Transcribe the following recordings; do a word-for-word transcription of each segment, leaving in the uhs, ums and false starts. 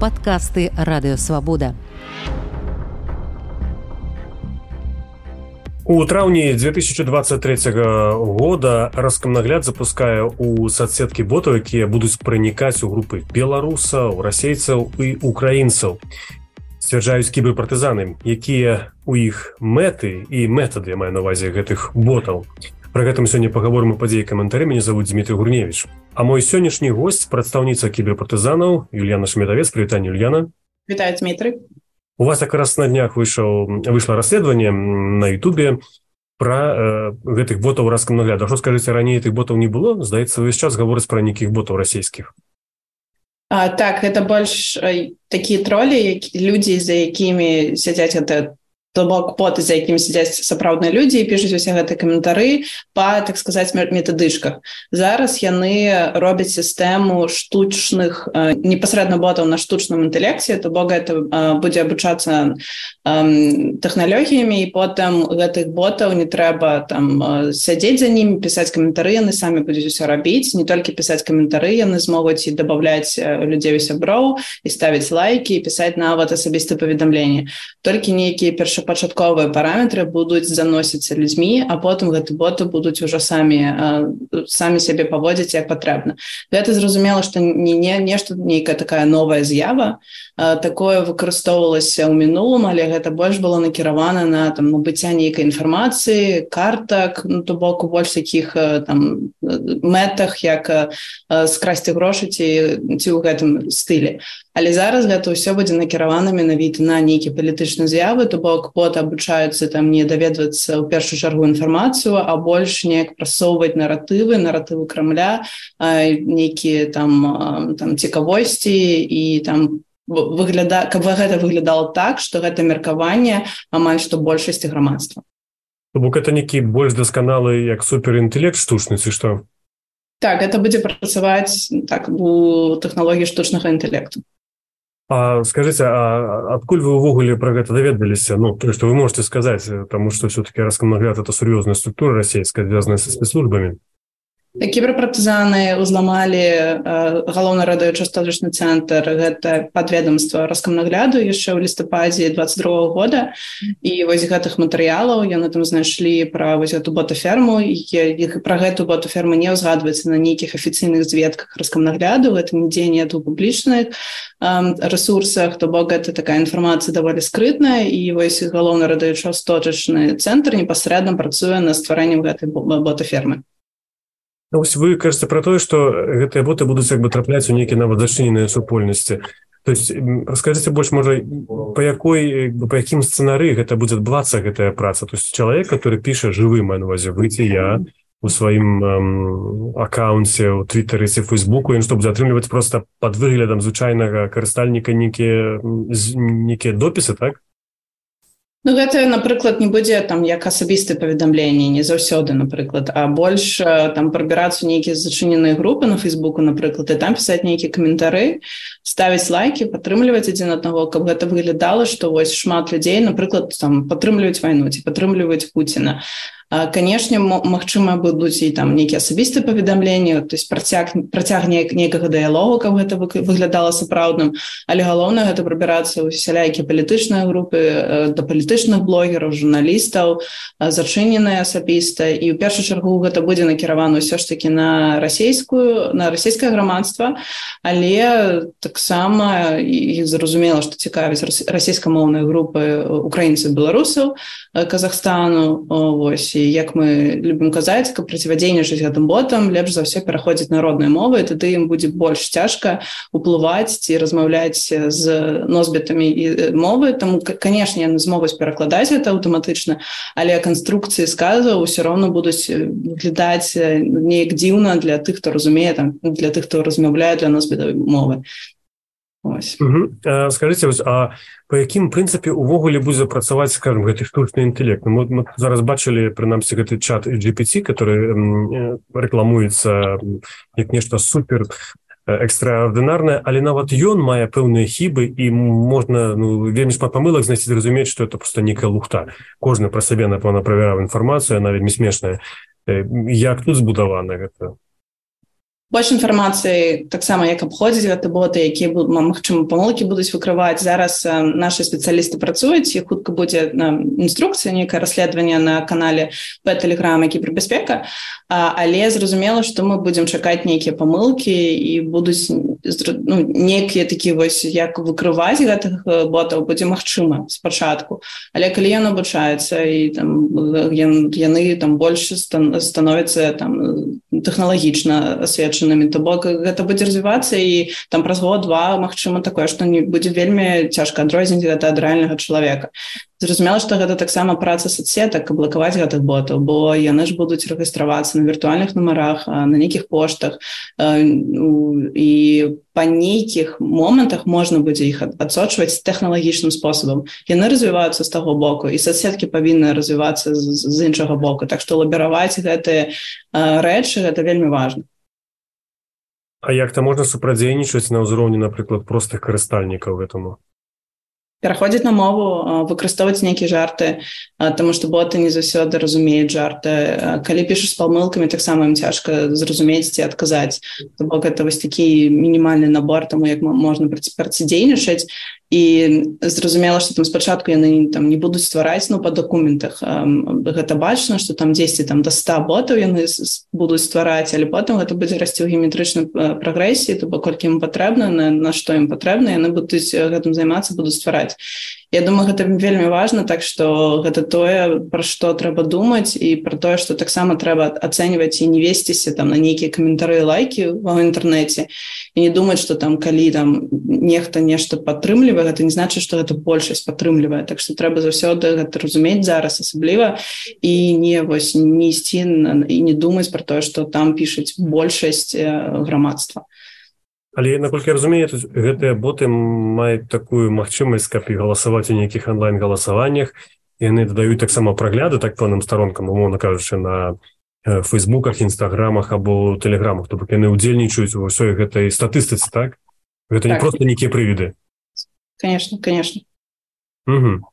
Падкасты Радыёвабода. У траўні две тысячи двадцать третьего года Роскомнагляд запускае у соцсеткі ботаў, якія будуць пранікаць у групы беларусаў, расейцаў і украінцаў. Сцвярджаюць кіберпартызаны, якія у іх мэты і метады, я маю на ўвазе гэтых ботаў. Пра гэтым сёння пагаворым у падзеі каментары. Мяне завуць Дмітрий Гурневич. А мой сённяшні госць прадстаўніца кіберпартызанаў Юльяна Шмедавец. Прывітанне, Юльяна. Вітаю, Дмитрий. У вас якраз на днях выйшаў, выйшло расследаванне на Ютубе пра э, гэтых ботаў Роскомнагляда. Што скажыце, раней гэтых ботаў не было? Здаецца, увесь час гавораць пра нейкіх ботаў расійскіх. А, так, гэта больш э, такія тролі, які, людзі, за якімі сядзяць гэта то бок боты, за якімі сядзяць сапраўдныя людзі і пішуць усе гэтыя каментары па, так сказаць, метадычках. Зараз яны робяць сістэму штучных, э, непасрэдна ботаў на штучным інтэлекце, то бок гэта э, будзе абучацца э, тэхналогіямі, і потым гэтых ботаў не трэба там э, сядзець за німі, пісаць каментары, яны самі будуць усё рабіць, не толькі пісаць каментары, яны змогуць і дабаўляць людзей у сяброў, і ставіць лайкі, і пісаць нават асабістыя паведамленні. Толькі нейкія першы пачатковыя параметры будуць заносіцца людзьмі, а потым гэты боты будуць ужо самі, самі сябе паводзіць як патрэбна. Гэта зразумела, што не, не нешта, нейкая такая новая з'ява. Такое выкарыстоўвалася ў мінулым, але гэта больш было накіравана на там, набыцця нейкай інфармацыі, картак, ну, то бок у больш такіх там, мэтах, як скрасці грошы ці, ці ў гэтым стылі. Але зараз гэта ўсё будзе накіравана менавіта на нейкія палітычныя з'явы, то бок боты абучаюцца там не даведвацца ў першую чаргу інфармацыю, а больш неяк прасоўваць наратывы, наратывы Крамля, нейкія там, там цікавосці і там выгляда... каб гэта выглядала так, што гэта меркаванне амаль што большасці грамадства. То бок гэта нейкі больш дасканалы як суперінтэлект штучны, ці што? Так, гэта будзе працаваць так, у тэхналогіі штучнага інтэлекту. А скажите, а адкуль вы увогуле про гэта даведаліся? Ну, то, что вы можете сказать, потому что все-таки Роскомнагляд — это серьезная структура российская, связанная со спецслужбами. Кіберпартызаны ўзламалі э, галоўны радыёчасточны цэнтр, гэта падведамства Роскомнагляду яшчэ ў лістападзе двадцать другого года, і вось гэтых матэрыялаў яны там знайшлі пра вось гэту ботаферму, і пра гэту ботаферму не ўзгадваецца на нейкіх афіцыйных звестках Роскомнагляду, гэта нідзе нет у публічных э, рэсурсах, то бок гэта такая інфармацыя даволі скрытная, і вось галоўны радыёчасточны цэнтр непасрэдна працуе на стварэннем гэтай ботафермы. Ну, вось вы кажаце пра тое, што гэтыя боты будуць як бы трапляць у нейкія нават зачыненыя супольнасці. То есть раскажыце больш, можа, па якой, па якім сцэнарыі гэта будзе адбывацца гэтая праца. То есть чалавек, который піша жывым, маю на ўвазе, вы ці я у сваім эм, акаунце ў Твиттері ці Фейсбуку, ён што будзе атрымліваць проста пад выглядам звычайнага карыстальніка нейкія нейкія допісы, так? Ну, гэта, напрыклад, не будзе там як асабістыя паведамленні, не заўсёды, напрыклад, а больш там прабірацца нейкія зачыненыя групы на Фейсбуку, напрыклад, і там пісаць нейкія каментары, ставіць лайкі, падтрымліваць адзін аднаго, каб гэта выглядала, што вось шмат людзей, напрыклад, там падтрымліваюць вайну ці падтрымліваюць Пуціна. Канешне, магчыма, будуць і там нейкія асабістыя паведамленні, то есть працяг, працяг нейкага дыялогу, каб гэта выглядала сапраўдным, але галоўнае гэта прабірацца ў сялякія палітычныя групы, да палітычных блогераў, журналістаў, зачыненыя асабіста, і ў першую чаргу гэта будзе накіравана ўсё ж такі на расійскую, на расійскае грамадства, але таксама і зразумела, што цікавяць расійскамоўныя групы украінцаў, беларусаў, Казахстану, вось. Як мы любім казаць, каб процівадзейнічаць гэтым ботам, лепш за ўсё пераходзіць на родныя мовы, тады ім будзе больш цяжка уплываць ці размаўляць з носьбітамі і мовы. Таму, канешне, яны змогуць перакладаць гэта аўтаматычна, але канструкцыі сказаў ўсё роўна будуць выглядаць неяк дзіўна для тых, хто разумее, там, для тых, хто размаўляе для носьбітавай мовы. Угу. А, скажите, а по якім прынцыпе увогуле будзе працаваць, скажем, гэты штучны інтэлект? Мы, мы зараз бачылі, прынамсі, гэты чат джи пі ти, который рэкламуецца як нешта супер экстраардынарнае, але нават ён мае пэўныя хібы, і можна, ну, вельмі шмат памылак знайсці, зразумець, што это проста нейкая лухта. Кожны пра сябе, напэўна, правяраў інфармацыю, яна вельмі смешная. Як тут збудавана гэта? Больш інфармацыі таксама як абходзіць гэты боты, якія магчыма памылкі будуць выкрываць. Зараз нашы спецыялісты працуюць, і хутка будзе інструкцыя, нейкае расследаванне на канале Telegram кібербяспека, але зразумела, што мы будзем чакаць нейкія памылкі і будуць ну, нейкія такі вось як выкрываць гэтых ботаў будзе магчыма спачатку. Але калі ён абучаецца і там яны там больш становяцца там тэхналагічна асвечанымі, то бок гэта будзе развівацца, і там праз год-два магчыма такое, што не будзе вельмі цяжка адрозніць гэта ад рэальнага чалавека. Зразумела, што гэта таксама праца соцсетак, каб блакаваць гэтых ботаў, бо яны ж будуць рэгістравацца на віртуальных нумарах, на нейкіх поштах, і па нейкіх момантах можна будзе іх адсочваць тэхналагічным спосабам. Яны развіваюцца з таго боку, і соцсеткі павінны развівацца з іншага боку. Так што лабіраваць гэтыя рэчы, гэта вельмі важна. А як-то можна супрадзейнічаць на ўзроўні, напрыклад, простых карыстальнікаў гэтаму? Пераходзіць на мову, выкарыстоўваць нейкія жарты, таму што боты не заўсёды разумеюць жарты. Калі пішаш з памылкамі, таксама ім цяжка зразумець ці адказаць. То бок гэта вось такі мінімальны набор таму, як можна працадзейнічаць. І зразумела, што там спачатку яны там не будуць ствараць, ну, па дакументах. Гэта бачна, што там дзесьці там да ста ботаў яны будуць ствараць, але потым гэта будзе расці ў геаметрычнай прагрэсіі, то бок колькі ім патрэбна, на, на што ім патрэбна, яны будуць гэтым займацца, будуць ствараць. Я думаю, гэта вельмі важна, так што гэта тое, пра што трэба думаць, і пра тое, што таксама трэба ацэньваць і не весціся там на нейкія каментары і лайкі ва інтэрнэце, і не думаць, што там калі там нехта нешта падтрымлівае, гэта не значыць, што гэта большасць падтрымлівае. Так што трэба заўсёды гэта разумець зараз асабліва, і не вось не ісці і не думаць пра тое, што там пішуць большасць грамадства. Але, наколькі я разумею, гэтыя боты маюць такую магчымасць, каб і галасаваць у нейкіх онлайн-галасаваннях, і яны дадаюць таксама прагляды так пэўным старонкам, умоўна кажучы, на фейсбуках, інстаграмах або тэлеграмах, то бок яны ўдзельнічаюць у ўсёй гэтай статыстыцы, так? Гэта так. Не проста нейкія прывіды. Конечно, конечно. Угу.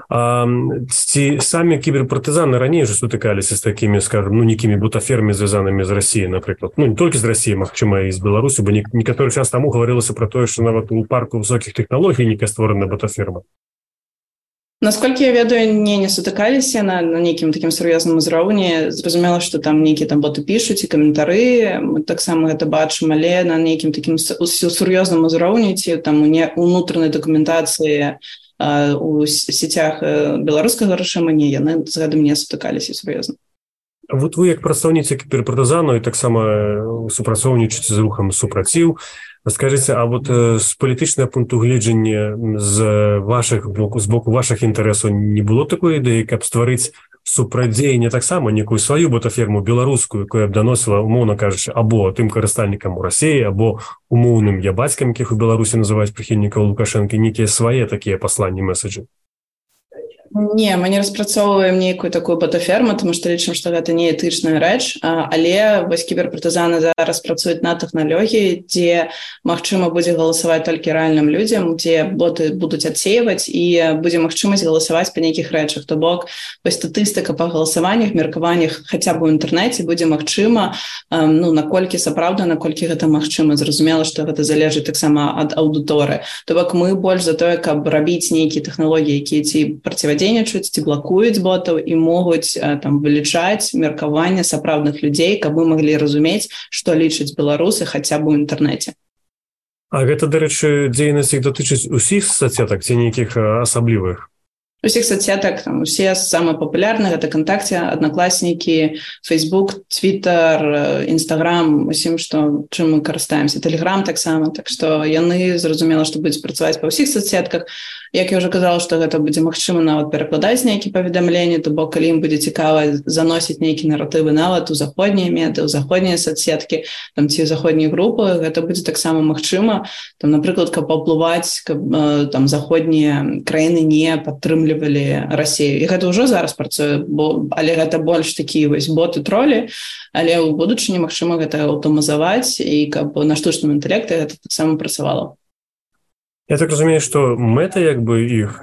А ці самі кіберпартызаны раней уже сутыкаліся з такімі, скажем, ну, некімі бутафермі, звязанымі з Расіяй, напрыклад. Ну, не толькі з Расіяй, магчыма, і з Беларусі, бо некаторы час таму гаварылася пра тое, што нават у парку высокіх тэхналогій нейкая створана бутаферма. Насколькі я ведаю, не, не сутыкаліся на, на нейкім такім сур'ёзным узроўні. Зразумела, што там нейкія там боты пішуць і каментары, мы таксама гэта бачым, але на нейкім такім сур'ёзным узроўні, ці там у унутранай дакументацыі у сетях беларускага рэжыму, не, яны з гэтым не сутыкаліся сур'ёзна. Вот вы, як прадстаўніца кіберпартызану, і таксама супрацоўнічаеце з рухам супраціў, скажыце, а вот з палітычнага пункту гледжання з вашых боку, з боку вашых інтарэсаў не было такой ідэі, каб стварыць супрадзеянне таксама некую сваю бутаферму беларускую, якая б даносіла, умоўна кажучы, або тым карыстальнікам у Расіі, або умоўным ябацькам, якіх у Беларусі называюць прыхільнікаў Лукашэнкі, нейкія свае такія пасланні, месаджы? Не, мы не распрацоўваем нейкую такую бутаферму, тому што лічым, што гэта не этычная рэч, але вось кіберпартызаны зараз працуюць на тэхналогіі, дзе магчыма будзе галасаваць толькі рэальным людзям, дзе боты будуць адсеиваць і будзе магчымасць галасаваць па нейкіх рэчах. То бок, вось статыстыка па галасаваннях, меркаваннях хаця б у інтэрнэце будзе магчыма, ну, наколькі сапраўда, наколькі гэта магчыма. Зразумела, што гэта залежыць таксама ад аўдыторыі. То бок, мы больш за тое, каб рабіць нейкія тэхналогіі, якія ці процівадзейнічаюць, ці блакуюць ботаў і могуць там вылічаць меркаванне сапраўдных людзей, каб мы маглі разумець, што лічаць беларусы хаця б у інтэрнэце. А гэта, дарэчы, дзейнасць іх датычыць усіх соцсетак ці нейкіх асаблівых? Усіх соцсетак, там, усе самыя папулярныя, гэта ВКонтакте, Аднакласнікі, Фейсбук, Твиттер, Інстаграм, усім, што, чым мы карыстаемся, Тэлеграм таксама, так што яны, зразумела, што будуць працаваць па ўсіх соцсетках. Як я ўжо казала, што гэта будзе магчыма нават перакладаць нейкія паведамленні, то бок, калі ім будзе цікава заносіць нейкія наратывы нават у заходнія меды, у заходнія соцсеткі, там, ці ў заходнія групы, гэта будзе таксама магчыма. Там, напрыклад, каб паўплываць, каб там заходнія краіны не падтрымлівалі Расію. І гэта ўжо зараз працуе, бо, але гэта больш такія вось боты-тролі, але ў будучыні магчыма гэта аўтаматызаваць, і каб на штучным інтэлекце гэта таксама працавала. Я так разумею, што мэта як бы іх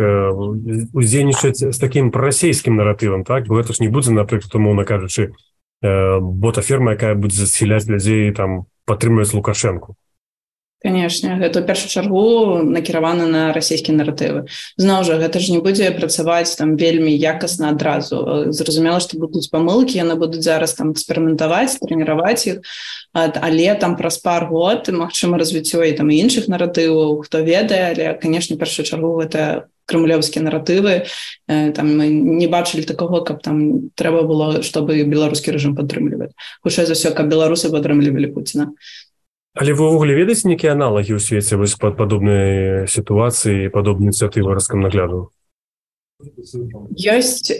уздзейнічаць з такім прарасійскім наратывам, так? Бо гэта ж не будзе, напрыклад, умоўна кажучы, бота-ферма, якая будзе засяляць людзей, там, падтрымліваць Лукашэнку. Канешне, гэта ў першую чаргу накіравана на расійскія наратывы. Зноў жа, гэта ж не будзе працаваць там вельмі якасна адразу. Зразумела, што будуць памылкі, яны будуць зараз там эксперыментаваць, трэніраваць іх, але там праз пар год, магчыма, развіццё і там і іншых наратываў, хто ведае, але, канешне, ў першую чаргу гэта крамлёўскія наратывы. Там мы не бачылі такого, каб там трэба было, чтобы беларускі рэжым падтрымліваць. Хутчэй за ўсё, каб беларусы падтрымлівалі Пуціна. Але вы ўвогуле ведаеце нейкія аналагі ў свеце вось пад падобнай сітуацыі, падобнай ініцыятывы Роскомнагляду? Ёсць,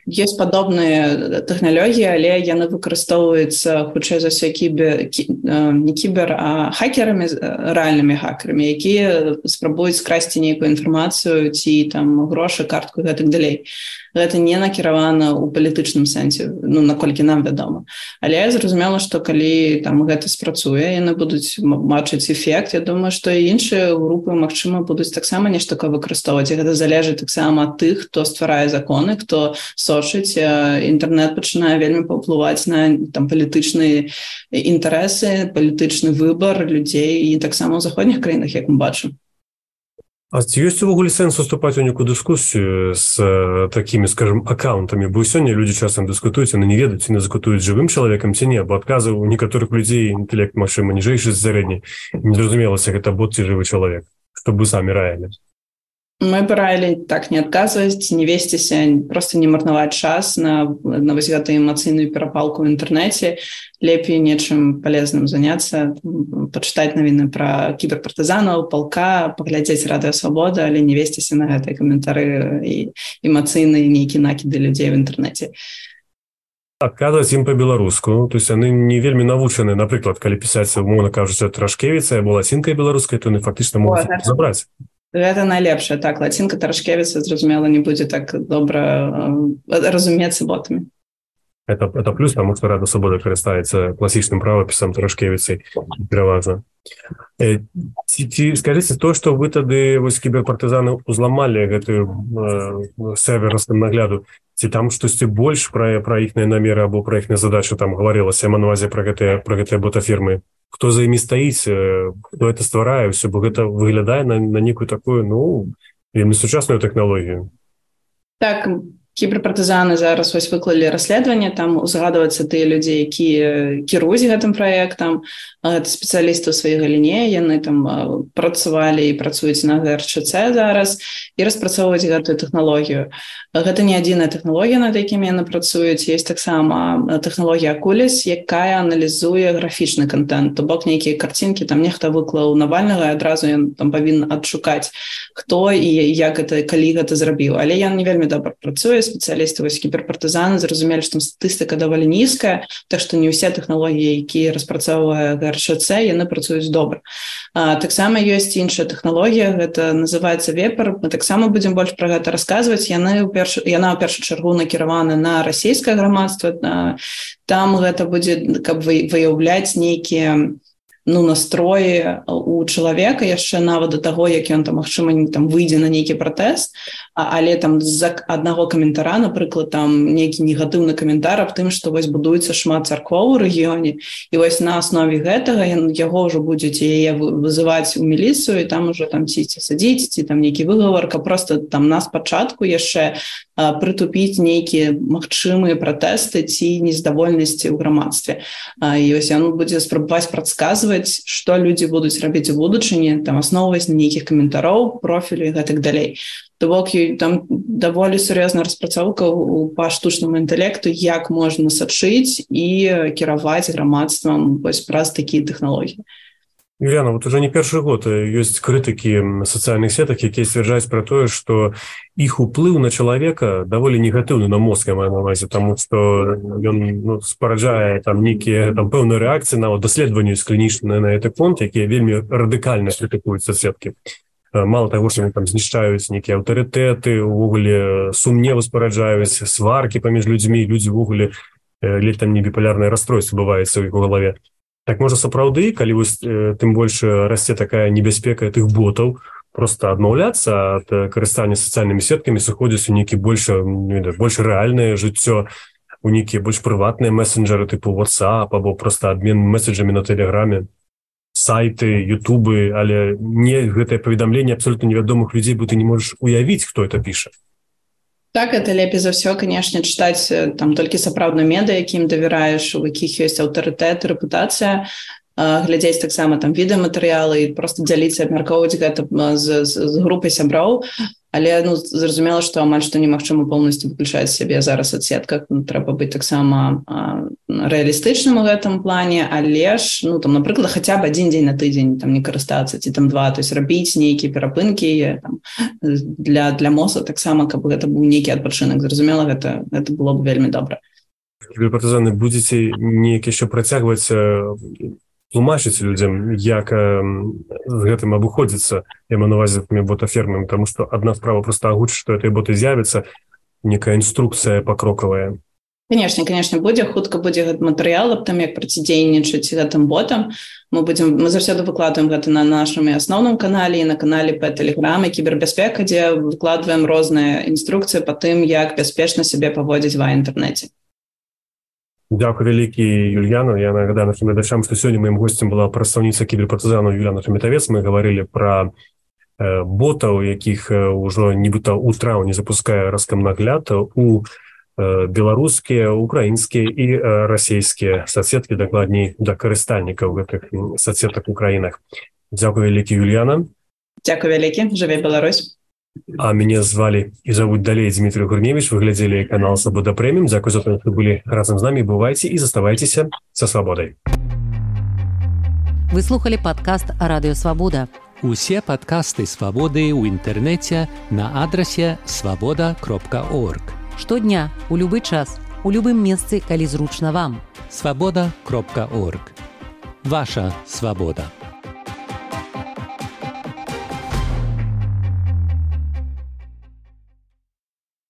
ёсць падобныя тэхналогіі, але яны выкарыстоўваюцца хутчэй за ўсё кібер, не кібер, а хакерамі, рэальнымі хакерамі, якія спрабуюць скрасці нейкую інфармацыю ці там грошы, картку і гэтак далей. Гэта не накіравана ў палітычным сэнсе, ну, наколькі нам вядома. Але зразумела, што калі там гэта спрацуе, яны будуць бачыць эфект, я думаю, што і іншыя групы, магчыма, будуць таксама нешта такое выкарыстоўваць. І гэта залежыць таксама ад тых, хто стварае законы, хто сочыць. Інтэрнэт пачынае вельмі паўплываць на там палітычныя інтарэсы, палітычны выбар людзей і таксама ў заходніх краінах, як мы бачым. А ці ёсць увогуле сэнс уступаць у нейкую дыскусію з такімі, скажем, аккаунтамі? Бо сёння людзі часам дыскутуюць, яны не ведаюць, ці не дыскутуюць жывым чалавекам, ці не, бо адказы ў некаторых людзей інтэлект, магчыма, ніжэйшы з сярэдняй. Не зразумелася, гэта бот ці жывы чалавек, што вы самі раілі. Мы б раілі так не адказваць, не весціся, проста не марнаваць час на, на вось гэтую эмацыйную перапалку ў інтэрнэце. Лепей нечым палезным заняцца, пачытаць навіны пра кіберпартызанаў, палка, паглядзець Радыё Свабода, але не весціся на гэтыя каментары і эмацыйныя нейкія накіды людзей в інтэрнэце. Адказваць ім па-беларуску, то есть яны не вельмі навучаны, напрыклад, калі пісаць, умоўна кажучы, Трашкевіца, або лацінкай беларускай, то яны фактычна могуць забраць. Гэта найлепшае, так, лацінка Трашкевіца, зразумела, не будзе так добра разумецца ботамі. Это, это плюс, потому что Радыё Свабода карыстаецца класічным правапісам Трашкевіцай пераважна. Э, ці, ці скажыце то, што вы тады вось кіберпартызаны узламалі гэты э, сервер Роскомнагляду, ці там штосьці больш пра, пра іхныя намеры або пра іхныя задачы там гаварылася, на ўвазе пра гэтыя, пра гэтыя ботафірмы? Хто за імі стаіць, хто гэта стварае, ўсё, бо гэта выглядае на, на нейкую такую, ну, вельмі сучасную тэхналогію. Так, кіберпартызаны зараз вось выклалі расследаванне, там узгадваюцца тыя людзі, якія кіруюць гэтым праектам, гэта спецыялісты ў сваёй галіне, яны там працавалі і працуюць на гэ эр чэ цэ зараз і распрацоўваюць гэтую тэхналогію. Гэта не адзіная тэхналогія, над якімі яны працуюць, ёсць таксама тэхналогія Акуліс, якая аналізуе графічны контент, то бок нейкія карцінкі, там нехта выклаў Навальнага, і адразу ён там павінен адшукаць, хто і як гэта, калі гэта зрабіў. Але ён не вельмі добра працуе, спецыялісты вось кіберпартызаны зразумелі, што там статыстыка даволі нізкая, так што не ўсе тэхналогіі, якія распрацоўвае гэ эр чэ цэ, яны працуюць добра. А, таксама ёсць іншая тэхналогія, гэта называецца Вепер. Мы таксама будзем больш пра гэта расказваць. Яны ў перш... Яна ў першую чаргу накіравана на расійскае грамадства. Там гэта будзе, каб выяўляць нейкія ну, настроі у чалавека яшчэ нават да таго, як ён там, магчыма, там выйдзе на нейкі пратэст, але там з аднаго каментара, напрыклад, там нейкі негатыўны каментар аб тым, што вось будуецца шмат царквоў у рэгіёне, і вось на аснове гэтага яго ўжо будзеце яе вызываць у міліцыю, і там ужо там ці садзіць, ці там нейкі выгавар, каб проста там на спачатку яшчэ прытупіць нейкія магчымыя пратэсты ці нездавольнасці ў грамадстве. І вось ён будзе спрабаваць прадказваць, што людзі будуць рабіць у будучыні, там асноўваць на нейкіх каментароў, профілю і гэтак далей. То бок там даволі сур'ёзная распрацоўка па штучнаму інтэлекту, як можна сачыць і кіраваць грамадствам вось праз такія тэхналогіі. Юліана, вот уже не першы год ёсць крытыкі сацыяльных сетак, якія сцвярджаюць пра тое, што іх уплыў на чалавека даволі негатыўны на мозг, я маю на ўвазе, таму што ён ну, спараджае там нейкія там пэўныя рэакцыі на даследаванні клінічныя на гэты конт, якія вельмі радыкальна крытыкуюць соцсеткі. Мало таго, што там знішчаюць нейкія аўтарытэты, увогуле сумневы спараджаюць, сваркі паміж людзьмі, людзі увогуле ледь там не біпалярнае расстройство бываецца ў іх галаве. Так можа сапраўды, калі вось тым больш расце такая небяспека тых ботаў, просто адмаўляцца ад карыстання сацыяльнымі сеткамі, сыходзіць у нейкі больш, больш рэальнае жыццё. у нейкія больш прыватныя месенджеры тыпу WhatsApp або проста абмен месседжамі на тэлеграме, сайты, ютубы, але не гэтае паведамленне абсолютно невядомых людзей, бо ты не можаш уявіць, хто это піша. Так, это лепей за ўсё, канешне, чытаць там толькі сапраўдную медыа, якім давяраеш, у якіх ёсць аўтарытэт, рэпутацыя, глядзець таксама там відэаматэрыялы і проста дзяліцца, абмяркоўваць гэта з, з, з групай сяброў. Але ну, зразумела, што амаль што немагчыма поўнасцю выключаць сябе зараз ад сетках. Ну, трэба быць таксама рэалістычным у гэтым плане, але ж, ну, там, напрыклад, хаця б адзін дзень на тыдзень там не карыстацца, ці там два, то есть рабіць нейкія перапынкі там, для, для мозга таксама, каб гэта быў нейкі адпачынак. Зразумела, гэта, гэта было б вельмі добра. Кіберпартызаны, будзеце неяк яшчэ працягваць тлумачыць людзям, як э, з гэтым абыходзіцца, я маю на ўвазе тымі ботафермамі, таму што адна справа проста агучыць, што гэтыя боты з'явяцца, некая інструкцыя пакрокавая. Канешне, канешне, будзе, хутка будзе гэты матэрыял аб тым, як працідзейнічаць гэтым ботам. Мы будзем, мы заўсёды выкладваем гэта на нашым асноўным канале і на канале па Тэлеграме «Кібербяспека», дзе выкладваем розныя інструкцыі па тым, як бяспечна сябе паводзіць ва інтэрнэце. Дякую вялікі, Юльяна. Я нагадаю нашим глядачам, што сёння маім госцем была прадстаўніца кіберпартызанаў Юльяна Шеметавец. Мы гаварылі пра э, ботаў, якіх э, ўжо нібыта ў траўні запускае Роскомнагляд у э, беларускія, украінскія і э, расійскія соцсеткі, дакладней да карыстальнікаў гэтых соцсетак у краінах. Дякую вялікі, Юльяна. Дякую вялікі. Жыве Беларусь. А меня звали и зовут далее Дмитрий Гурневич. Вы глядели канал «Свобода Премиум». Дякую за то, что были разом с нами. Бывайте и заставайтесь со свободой. Вы слухали подкаст «Радио Свобода». Усе подкасты «Свободы» у интернете на адресе свобода кропка орг. Штодня, у любы час, у любым месцы, калі зручна вам. свобода кропка орг. Ваша свобода.